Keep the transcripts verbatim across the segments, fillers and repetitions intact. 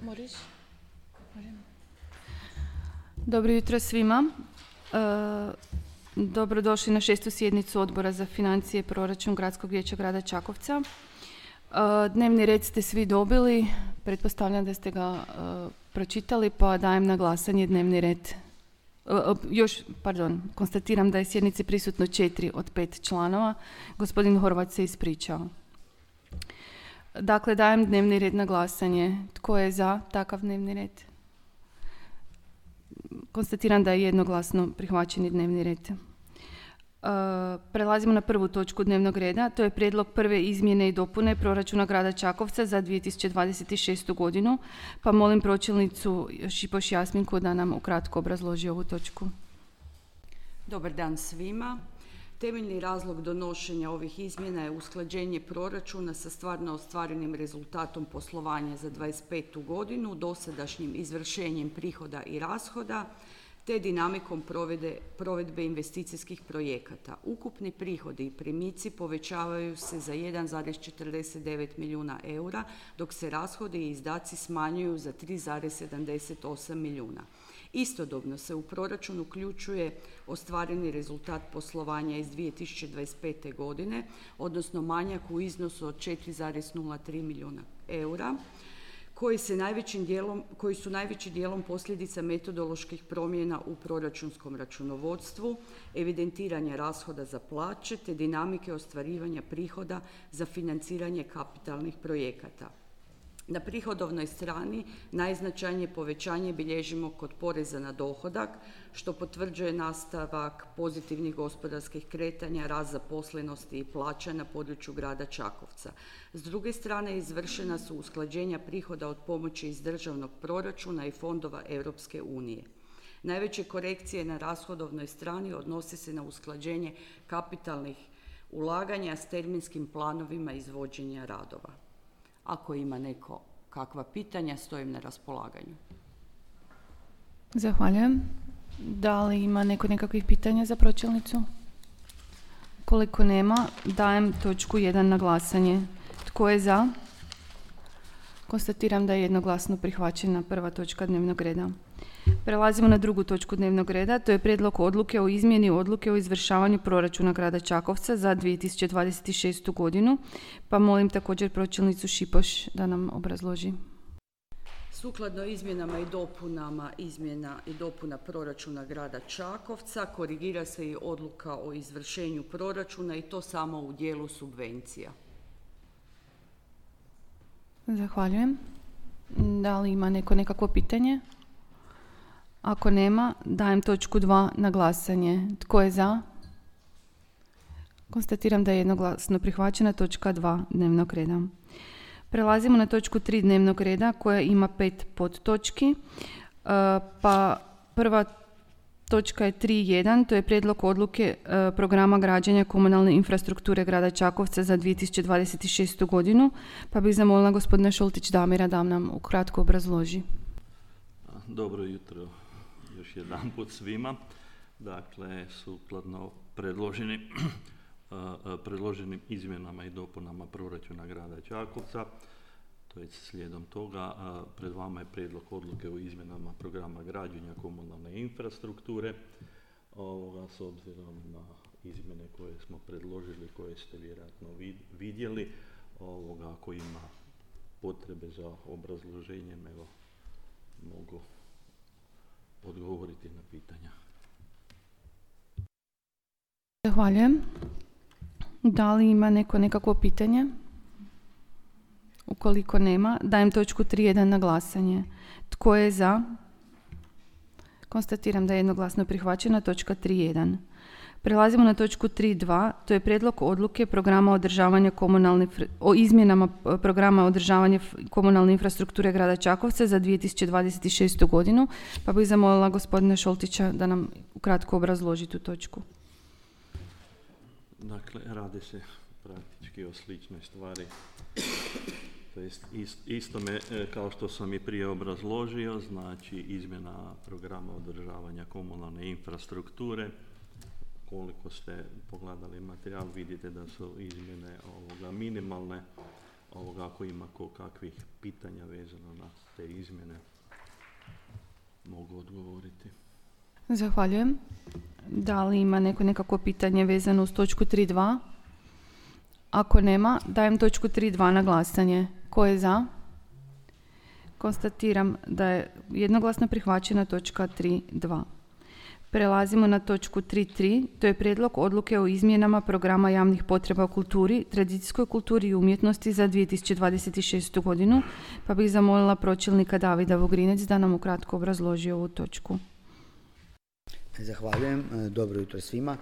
Moriš? Dobro jutro svima. E, dobrodošli na šestu sjednicu Odbora za financije i proračun Gradskog vijeća grada Čakovca. E, dnevni red ste svi dobili, pretpostavljam da ste ga e, pročitali, pa dajem na glasanje dnevni red. E, još, pardon, konstatiram da je sjednici prisutno četiri od pet članova. Gospodin Horvat se ispričao. Dakle, dajem dnevni red na glasanje. Tko je za takav dnevni red? Konstatiram da je jednoglasno prihvaćeni dnevni red. E, prelazimo na prvu točku dnevnog reda. To je prijedlog prve izmjene i dopune proračuna grada Čakovca za dvije tisuće dvadeset šestu godinu. Pa molim pročelnicu Šipoš Jasminku da nam ukratko obrazloži ovu točku. Dobar dan svima. Temeljni razlog donošenja ovih izmjena je usklađenje proračuna sa stvarno ostvarenim rezultatom poslovanja za dvadeset petu godinu, dosadašnjim izvršenjem prihoda i rashoda, te dinamikom provede, provedbe investicijskih projekata. Ukupni prihodi i primici povećavaju se za jedan zarez četrdeset devet milijuna eura, dok se rashodi i izdaci smanjuju za tri zarez sedamdeset osam milijuna. Istodobno se u proračun uključuje ostvareni rezultat poslovanja iz dvije tisuće dvadeset pete. godine, odnosno manjak u iznosu od četiri zarez nula tri milijuna eura, koji, se najvećim dijelom, koji su najvećim dijelom posljedica metodoloških promjena u proračunskom računovodstvu, evidentiranja rashoda za plaće te dinamike ostvarivanja prihoda za financiranje kapitalnih projekata. Na prihodovnoj strani najznačajnije povećanje bilježimo kod poreza na dohodak, što potvrđuje nastavak pozitivnih gospodarskih kretanja, rast zaposlenosti i plaća na području grada Čakovca. S druge strane, izvršena su usklađenja prihoda od pomoći iz državnog proračuna i fondova Europske unije. Najveće korekcije na rashodovnoj strani odnose se na usklađenje kapitalnih ulaganja s terminskim planovima izvođenja radova. Ako ima neko kakva pitanja, stojim na raspolaganju. Zahvaljujem. Da li ima neko nekakvih pitanja za pročelnicu? Koliko nema, dajem točku jedan na glasanje. Tko je za? Konstatiram da je jednoglasno prihvaćena prva točka dnevnog reda. Prelazimo na drugu točku dnevnog reda, to je prijedlog odluke o izmjeni odluke o izvršavanju proračuna grada Čakovca za dvije tisuće dvadeset šestu. godinu, pa molim također pročelnicu Šipoš da nam obrazloži. Sukladno izmjenama i dopunama izmjena i dopuna proračuna grada Čakovca korigira se i odluka o izvršenju proračuna i to samo u dijelu subvencija. Zahvaljujem. Da li ima neko nekakvo pitanje? Ako nema, dajem točku dva na glasanje. Tko je za? Konstatiram da je jednoglasno prihvaćena točka dva dnevnog reda. Prelazimo na točku tri dnevnog reda koja ima pet podtočki. Pa prva točka je tri jedan, to je prijedlog odluke programa građenja komunalne infrastrukture grada Čakovca za dvije tisuće dvadeset šestu. godinu. Pa bih zamolila gospodina Šoltić Damira da nam ukratko obrazloži. Dobro jutro još jedan put svima. Dakle, sukladno predloženim, predloženim izmjenama i dopunama proračuna grada Čakovca, to je slijedom toga, pred vama je prijedlog odluke o izmjenama programa građenja komunalne infrastrukture. Ovoga, s obzirom na izmjene koje smo predložili, koje ste vjerojatno vidjeli, ovoga, ako ima potrebe za obrazloženjem, evo, mogu odgovoriti na pitanja. Zahvaljujem. Da li ima neko nekakvo pitanje? Ukoliko nema, dajem točku tri jedan na glasanje. Tko je za? Konstatiram da je jednoglasno prihvaćena točka tri jedan. Prelazimo na točku tri dva, to je prijedlog odluke programa održavanja komunalne, o izmjenama programa održavanja komunalne infrastrukture grada Čakovca za dvije tisuće dvadeset šestu. godinu, pa bih zamolila gospodina Šoltića da nam ukratko obrazloži tu točku. Dakle, radi se praktički o sličnoj stvari. To jest isto me, kao što sam i prije obrazložio, znači izmjena programa održavanja komunalne infrastrukture. Koliko ste pogledali materijal, vidite da su izmjene ovoga minimalne. ovoga, ako ima ko kakvih pitanja vezano na te izmjene, mogu odgovoriti. Zahvaljujem. Da li ima neko nekako pitanje vezano uz točku tri dva? Ako nema, dajem točku tri dva na glasanje. Ko je za? Konstatiram da je jednoglasno prihvaćena točka tri dva. Prelazimo na točku tri tri, to je prijedlog odluke o izmjenama programa javnih potreba u kulturi, tradicijskoj kulturi i umjetnosti za dvije tisuće dvadeset šestu godinu, pa bih zamolila pročelnika Davida Vugrinec da nam ukratko obrazloži ovu točku. Zahvaljujem. Dobro jutro svima.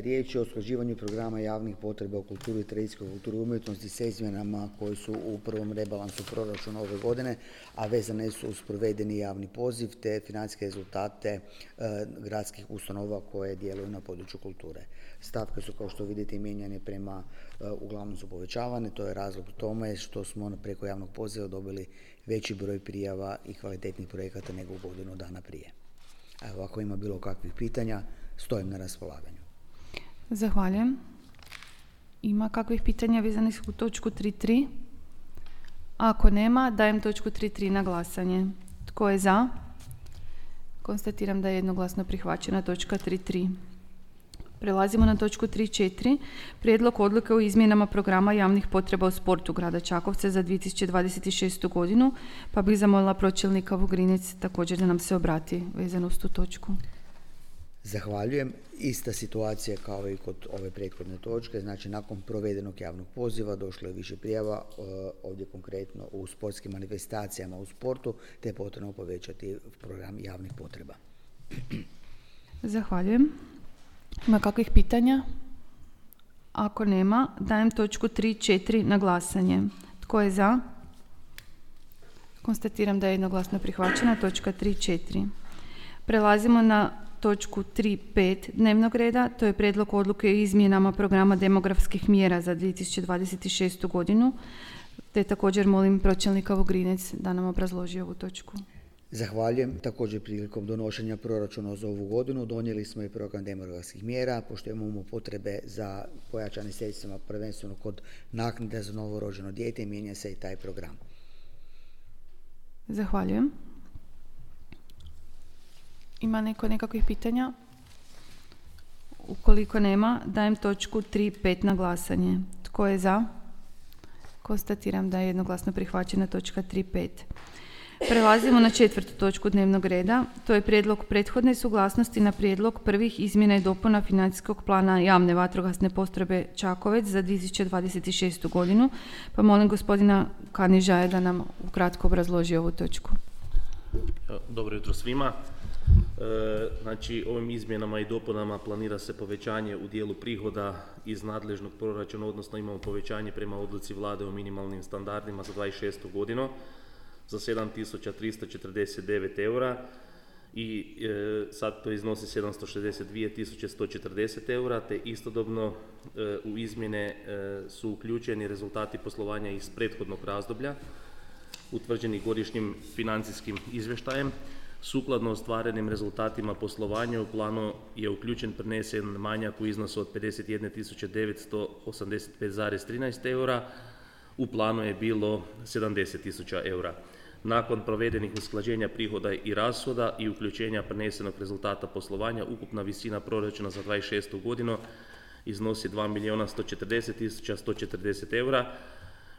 Riječ je o usklađivanju programa javnih potreba u kulturi, tradicijskoj kulturi i umjetnosti s izmjenama koje su u prvom rebalansu proračuna ove godine, a vezane su uz provedeni javni poziv te financijske rezultate e, gradskih ustanova koje djeluju na području kulture. Stavke su, kao što vidite, mijenjane prema, e, uglavnom su povećavane. To je razlog tome što smo preko javnog poziva dobili veći broj prijava i kvalitetnih projekata nego godinu dana prije. Evo, ako ima bilo kakvih pitanja, stojim na raspolaganju. Zahvaljujem. Ima kakvih pitanja vezanih u točku tri tri? Ako nema, dajem točku tri tri na glasanje. Tko je za? Konstatiram da je jednoglasno prihvaćena točka tri tri. Prelazimo na točku tri četiri. Prijedlog odluke o izmjenama programa javnih potreba u sportu grada Čakovca za dvije tisuće dvadeset šestu godinu, pa bih zamolila pročelnika Vugrinec također da nam se obrati vezano uz tu točku. Zahvaljujem. Ista situacija kao i kod ove prethodne točke, znači nakon provedenog javnog poziva došlo je više prijava, ovdje konkretno u sportskim manifestacijama u sportu, te je potrebno povećati program javnih potreba. Zahvaljujem. Ima kakvih pitanja? Ako nema, dajem točku tri četiri na glasanje. Tko je za? Konstatiram da je jednoglasno prihvaćena točka tri četiri. Prelazimo na točku tri pet dnevnog reda, to je prijedlog odluke o izmjenama programa demografskih mjera za dvije tisuće dvadeset šestu godinu, te također molim pročelnika Vugrinec da nam obrazloži ovu točku. Zahvaljujem. Također prilikom donošenja proračuna za ovu godinu donijeli smo i program demografskih mjera, pošto imamo potrebe za pojačanim sredstvima prvenstveno kod naknade za novorođeno dijete, mijenja se i taj program. Zahvaljujem. Ima neko nekakvih pitanja? Ukoliko nema, dajem točku tri pet na glasanje. Tko je za? Konstatiram da je jednoglasno prihvaćena točka tri pet. Prelazimo na četvrtu točku dnevnog reda. To je prijedlog prethodne suglasnosti na prijedlog prvih izmjena i dopuna financijskog plana javne vatrogasne postrojbe Čakovec za dvije tisuće dvadeset šestu godinu. Pa molim gospodina Kanižaja da nam ukratko obrazloži ovu točku. Dobro jutro svima. E, znači, ovim izmjenama i dopunama planira se povećanje u dijelu prihoda iz nadležnog proračuna, odnosno imamo povećanje prema odluci vlade o minimalnim standardima za dvadeset šestu godinu za sedam tisuća tristo četrdeset devet eura i e, sad to iznosi sedamsto šezdeset dvije tisuće sto četrdeset eura, te istodobno e, u izmjene e, su uključeni rezultati poslovanja iz prethodnog razdoblja utvrđeni godišnjim financijskim izvještajem. Sukladno ostvarenim rezultatima poslovanja u planu je uključen prenesen manjak u iznosu od pedeset jedne tisuće devetsto osamdeset pet zarez trinaest eura, u planu je bilo sedamdeset tisuća eura. Nakon provedenih usklađenja prihoda i rashoda i uključenja prenesenog rezultata poslovanja, ukupna visina proračuna za dvadeset šestu godinu iznosi dva milijuna sto četrdeset tisuća sto četrdeset eura,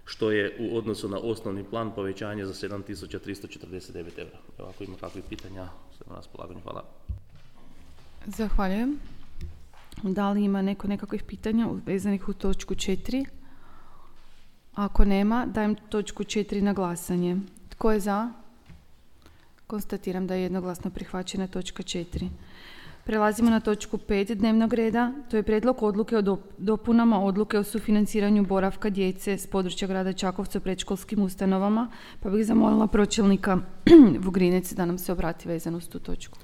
što je u odnosu na osnovni plan povećanje za sedam tisuća tristo četrdeset devet eura. Evo, ako ima kakvih pitanja, sve na raspolaganju. Hvala. Zahvaljujem. Da li ima neko nekakvih pitanja vezanih u točku četiri? Ako nema, dajem točku četiri na glasanje. Tko je za? Konstatiram da je jednoglasno prihvaćena točka četiri. Prelazimo na točku pet dnevnog reda, to je prijedlog odluke o dopunama odluke o sufinanciranju boravka djece s područja grada Čakovca u predškolskim ustanovama, pa bih zamolila pročelnika Vugrinec da nam se obrati vezano uz tu točku.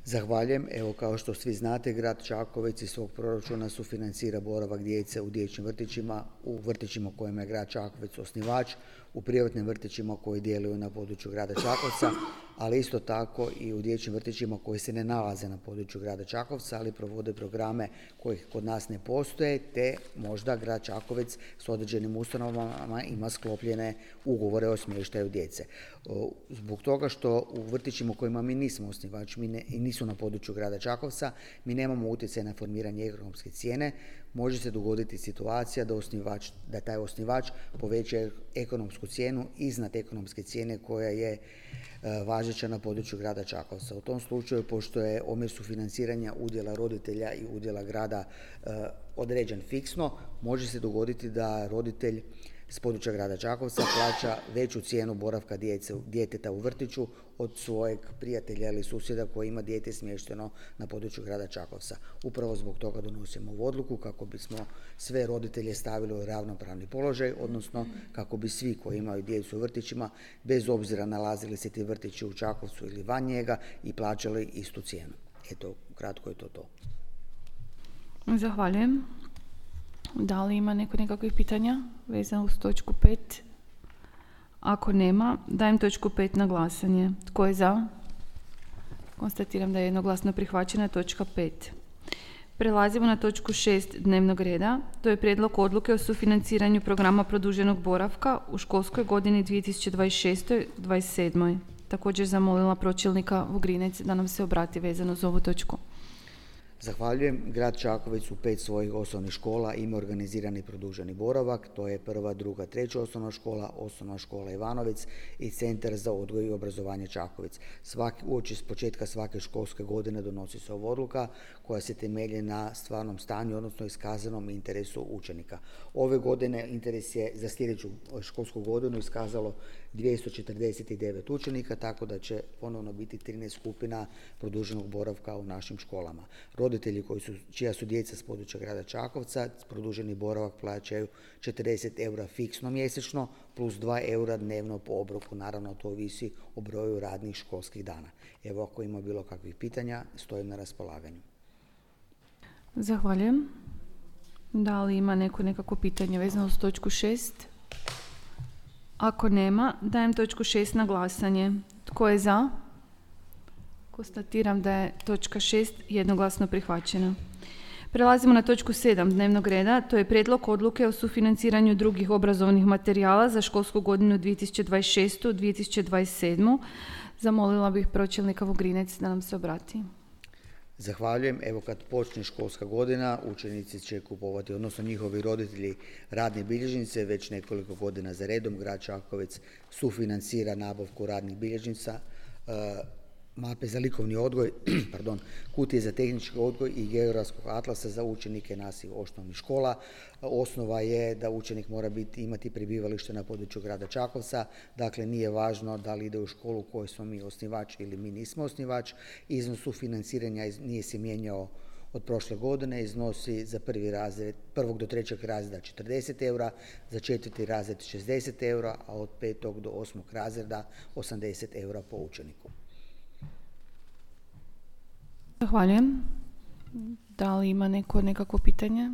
Zahvaljujem. Evo, kao što svi znate, grad Čakovec iz svog proračuna sufinancira boravak djece u dječjim vrtićima, u vrtićima kojima je grad Čakovec osnivač, u privatnim vrtićima koji djeluju na području grada Čakovca, ali isto tako i u dječjim vrtićima koji se ne nalaze na području grada Čakovca, ali provode programe koji kod nas ne postoje, te možda grad Čakovec s određenim ustanovama ima sklopljene ugovore o smještaju djece. Zbog toga što u vrtićima u kojima mi nismo osnivač mi ne, i nisu na području grada Čakovca, mi nemamo utjecaj na formiranje ekonomske cijene, može se dogoditi situacija da, osnivač, da taj osnivač poveća ekonomsku cijenu iznad ekonomske cijene koja je e, važeća na području grada Čakovca. U tom slučaju, pošto je omjer sufinanciranja udjela roditelja i udjela grada e, određen fiksno, može se dogoditi da roditelj s područja grada Čakovca plaća veću cijenu boravka djece, djeteta u vrtiću od svojeg prijatelja ili susjeda koji ima dijete smješteno na području grada Čakovca. Upravo zbog toga donosimo ovu odluku kako bismo sve roditelje stavili u ravnopravni položaj, odnosno kako bi svi koji imaju djecu u vrtićima, bez obzira nalazili se ti vrtići u Čakovcu ili van njega, i plaćali istu cijenu. Eto, kratko je to to. Zahvaljujem. Da li ima neko nekakvih pitanja vezano uz točku pet? Ako nema, dajem točku pet na glasanje. Tko je za? Konstatiram da je jednoglasno prihvaćena točka pet. Prelazimo na točku šest dnevnog reda. To je prijedlog odluke o sufinanciranju programa produženog boravka u školskoj godini dvije tisuće dvadeset šeste dvadeset sedme. Također zamolila pročelnika Vugrinec da nam se obrati vezano za ovu točku. Zahvaljujem. Grad Čakovec u pet svojih osnovnih škola ima organizirani produženi boravak. To je prva, druga, treća osnovna škola, osnovna škola Ivanovec i Centar za odgoj i obrazovanje Čakovec. Svaki, uoči s početka svake školske godine donosi se ova odluka koja se temelji na stvarnom stanju, odnosno iskazanom interesu učenika. Ove godine interes je za sljedeću školsku godinu iskazalo dvjesto četrdeset devet učenika, tako da će ponovno biti trinaest skupina produženog boravka u našim školama. Roditelji koji su, čija su djeca s područja grada Čakovca, produženi boravak plaćaju četrdeset eura fiksno mjesečno plus dva eura dnevno po obroku. Naravno, to ovisi o broju radnih školskih dana. Evo, ako ima bilo kakvih pitanja, stojim na raspolaganju. Zahvaljujem. Da li ima neko nekako pitanje vezano uz točku šest? Ako nema, dajem točku šest na glasanje. Tko je za? Konstatiram da je točka šest jednoglasno prihvaćena. Prelazimo na točku sedam dnevnog reda. To je prijedlog odluke o sufinanciranju drugih obrazovnih materijala za školsku godinu dvije tisuće dvadeset šeste dvije tisuće dvadeset sedme. Zamolila bih pročelnika Vugrinec da nam se obrati. Zahvaljujem. Evo, kad počne školska godina, učenici će kupovati, odnosno njihovi roditelji, radne bilježnice. Već nekoliko godina za redom grad Čakovec sufinancira nabavku radnih bilježnica, mape za likovni odgoj, pardon, kutije za tehnički odgoj i geografskog atlasa za učenike naših osnovnih škola. Osnova je da učenik mora biti, imati prebivalište na području grada Čakovca, dakle nije važno da li ide u školu u kojoj smo mi osnivač ili mi nismo osnivač. Iznos sufinanciranja nije se mijenjao od prošle godine, iznosi za prvi razred, prvog do trećeg razreda četrdeset eura, za četvrti razred šezdeset eura, a od petog do osmog razreda osamdeset eura po učeniku. Zahvaljujem. Da li ima neko nekako pitanje?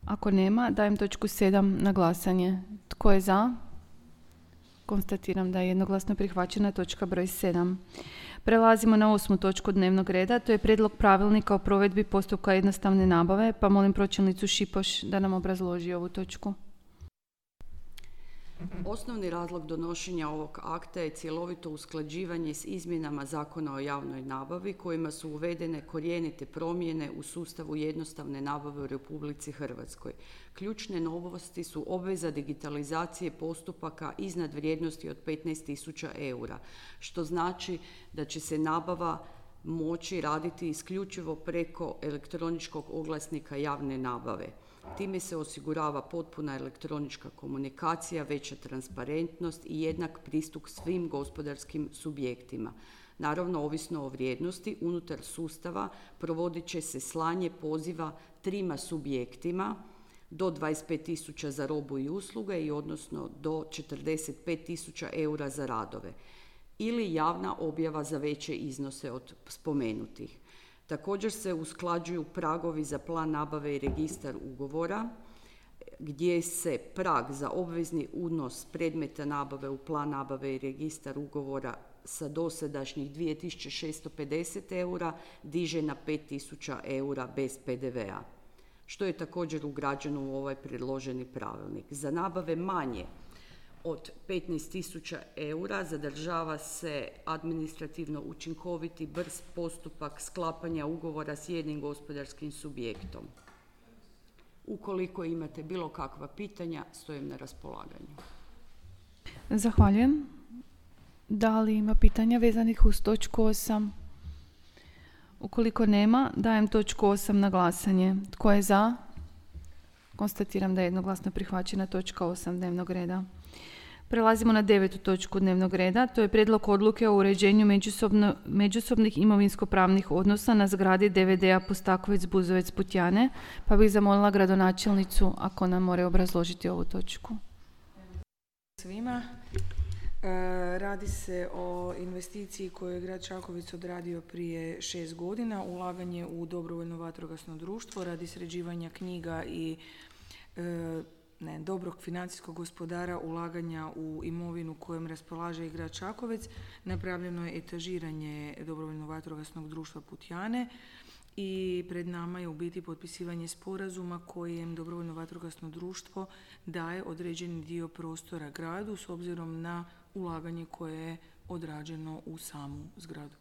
Ako nema, dajem točku sedam na glasanje. Tko je za? Konstatiram da je jednoglasno prihvaćena točka broj sedam. Prelazimo na osmu točku dnevnog reda. To je prijedlog pravilnika o provedbi postupka jednostavne nabave, pa molim pročelnicu Šipoš da nam obrazloži ovu točku. Osnovni razlog donošenja ovog akta je cjelovito usklađivanje s izmjenama Zakona o javnoj nabavi kojima su uvedene korijenite promjene u sustavu jednostavne nabave u Republici Hrvatskoj. Ključne novosti su obveza digitalizacije postupaka iznad vrijednosti od petnaest tisuća eura, što znači da će se nabava moći raditi isključivo preko elektroničkog oglasnika javne nabave. Time se osigurava potpuna elektronička komunikacija, veća transparentnost i jednak pristup svim gospodarskim subjektima. Naravno, ovisno o vrijednosti, unutar sustava provodit će se slanje poziva trima subjektima do dvadeset pet tisuća za robu i usluge i odnosno do četrdeset pet tisuća eura za radove ili javna objava za veće iznose od spomenutih. Također se usklađuju pragovi za plan nabave i registar ugovora gdje se prag za obvezni unos predmeta nabave u plan nabave i registar ugovora sa dosadašnjih dvije tisuće šesto pedeset eura diže na pet tisuća eura bez P D V-a, što je također ugrađeno u ovaj predloženi pravilnik. Za nabave manje od petnaest tisuća eura zadržava se administrativno učinkoviti brz postupak sklapanja ugovora s jednim gospodarskim subjektom. Ukoliko imate bilo kakva pitanja, stojim na raspolaganju. Zahvaljujem. Da li ima pitanja vezanih uz točku osam? Ukoliko nema, dajem točku osam na glasanje. Tko je za? Konstatiram da je jednoglasno prihvaćena točka osam dnevnog reda. Prelazimo na devetu točku dnevnog reda. To je prijedlog odluke o uređenju međusobno, međusobnih imovinsko-pravnih odnosa na zgradi D V D-a Postakovec, Buzovec, Putjane, pa bih zamolila gradonačelnicu ako nam more obrazložiti ovu točku. Svima. E, radi se o investiciji koju je grad Čakovec odradio prije šest godina, ulaganje u dobrovoljno vatrogasno društvo radi sređivanja knjiga i e, ne, dobrog financijskog gospodara, ulaganja u imovinu kojom raspolaže i grad Čakovec. Napravljeno je etažiranje dobrovoljno vatrogasnog društva Putjane i pred nama je u biti potpisivanje sporazuma kojem dobrovoljno vatrogasno društvo daje određeni dio prostora gradu s obzirom na ulaganje koje je odrađeno u samu zgradu.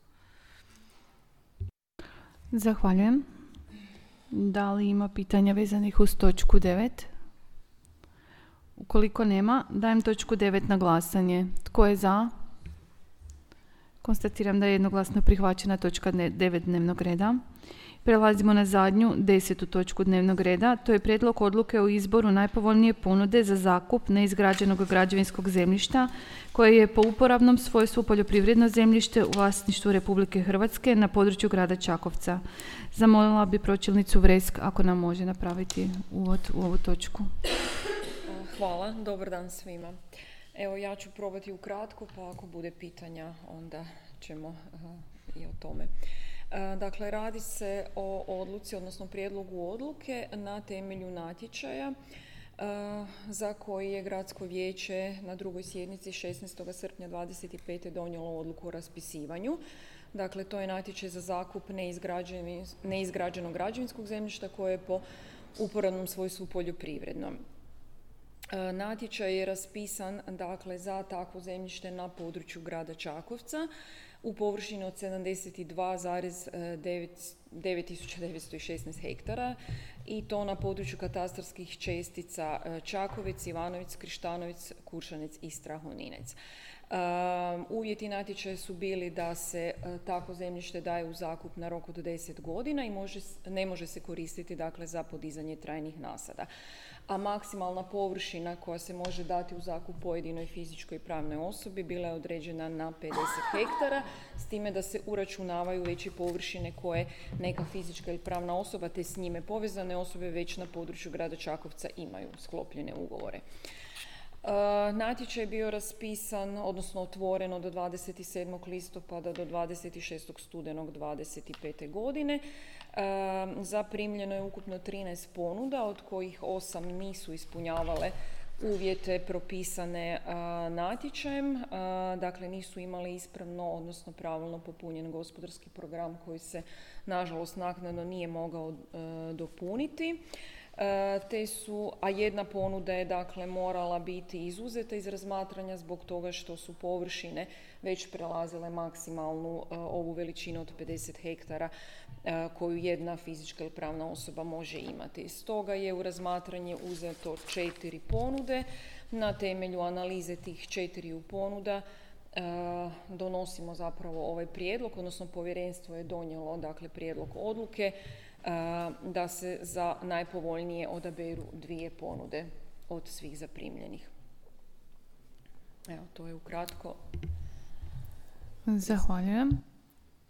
Zahvaljujem. Da li ima pitanja vezanih uz točku devet? Ukoliko nema, dajem točku devet na glasanje. Tko je za? Konstatiram da je jednoglasno prihvaćena točka devet dnevnog reda. Prelazimo na zadnju, desetu točku dnevnog reda. To je prijedlog odluke o izboru najpovoljnije ponude za zakup neizgrađenog građevinskog zemljišta koje je po uporabnom svojstvu poljoprivredno zemljište u vlasništvu Republike Hrvatske na području grada Čakovca. Zamolila bi pročelnicu Vresk ako nam može napraviti uvod u ovu točku. Hvala, dobar dan svima. Evo, ja ću probati ukratko, pa ako bude pitanja, onda ćemo uh, i o tome. Uh, dakle, radi se o odluci, odnosno prijedlogu odluke na temelju natječaja uh, za koji je Gradsko vijeće na drugoj sjednici šesnaestog srpnja dvadeset pete donijelo odluku o raspisivanju. Dakle, to je natječaj za zakup neizgrađenog građevinskog zemljišta koje je po uporabnom svojstvu poljoprivredno. Natječaj je raspisan dakle, za takvo zemljište na području grada Čakovca u površini od sedamdeset dva zarez devet tisuća devetsto šesnaest hektara i to na području katastarskih čestica Čakovec, Ivanović, Krištanović, Kuršanec i Strahoninec. Um, uvjeti natječaja su bili da se uh, takvo zemljište daje u zakup na rok od deset godina i može, ne može se koristiti dakle, za podizanje trajnih nasada. A maksimalna površina koja se može dati u zakup pojedinoj fizičkoj i pravnoj osobi bila je određena na pedeset hektara, s time da se uračunavaju veće površine koje neka fizička ili pravna osoba te s njime povezane osobe već na području grada Čakovca imaju sklopljene ugovore. Uh, natječaj je bio raspisan, odnosno otvoren od dvadeset sedmog listopada do dvadeset šestog studenog dvadeset pete godine. Uh, zaprimljeno je ukupno trinaest ponuda, od kojih osam nisu ispunjavale uvjete propisane uh, natječajem, uh, dakle nisu imali ispravno, odnosno pravilno popunjen gospodarski program koji se nažalost naknadno nije mogao uh, dopuniti. Te su, a jedna ponuda je dakle morala biti izuzeta iz razmatranja zbog toga što su površine već prelazile maksimalnu uh, ovu veličinu od pedeset hektara uh, koju jedna fizička ili pravna osoba može imati. Stoga je u razmatranje uzeto četiri ponude. Na temelju analize tih četiri ponuda uh, donosimo zapravo ovaj prijedlog, odnosno povjerenstvo je donijelo dakle prijedlog odluke da se za najpovoljnije odaberu dvije ponude od svih zaprimljenih. Evo, to je ukratko. Zahvaljujem.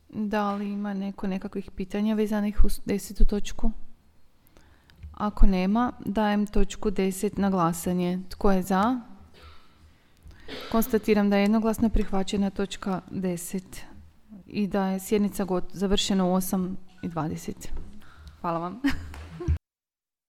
Da li ima neko nekakvih pitanja vezanih uz desetu točku? Ako nema, dajem točku deset na glasanje. Tko je za? Konstatiram da je jednoglasno prihvaćena točka deset i da je sjednica završena u osam i dvadeset. Hvala vam.